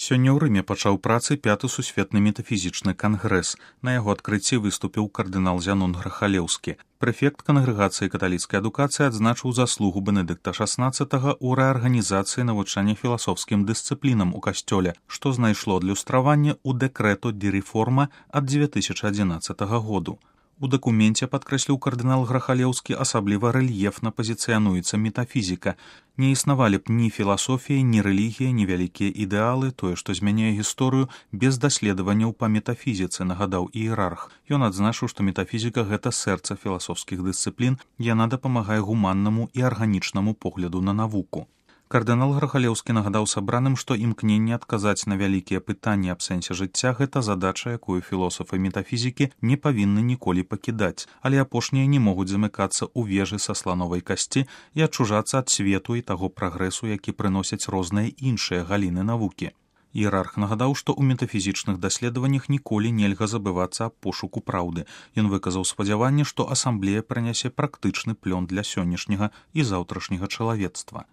Сёння ў Рыме пачаў працы 5-ы сусветны метафізічны кангрэс. На яго адкрыцці выступіў кардынал Зянон Грахалеўскі. Прэфект кангрэгацыі каталіцкай адукацыі адзначыў заслугу Бенедыкта XVI ў рэарганізацыі навучання філасофскім дысцыплінам у касцёле, што знайшло адлюстраванне ў дэкрэту ді рэформа ад 2011 году. У дакуменце, падкрэсліў кардынал Грахалеўскі, асабліва рэльефна пазіцыянуецца метафізіка. Не існавалі б ні філасофія, ні рэлігія, ні вялікія ідэалы, тое, што змяняе гісторыю, без даследаванняў па метафізіцы, нагадаў іерарх. Ён адзначыў, што метафізіка — гэта сэрца філасофскіх дысцыплін, яна дапамагае гуманнаму і арганічнаму погляду на навуку. Кардынал Грахалеўскі нагадаў сабраным, што імкненне адказаць на вялікія пытанні аб сэнсе жыцця — гэта задача, якую філосафы метафізікі не павінны ніколі пакідаць, але апошнія не могуць замыкацца ў вежы са слановай касці і адчужацца ад свету і таго прагрэсу, які прыносяць розныя іншыя галіны навукі. Іерарх нагадаў, што ў метафізічных даследаваннях ніколі нельга забывацца аб пошуку праўды. Ён выказаў спадзяванне, што асамблея прынясе практычны плён для сённяшняга і заўтрашняга чалавецтва.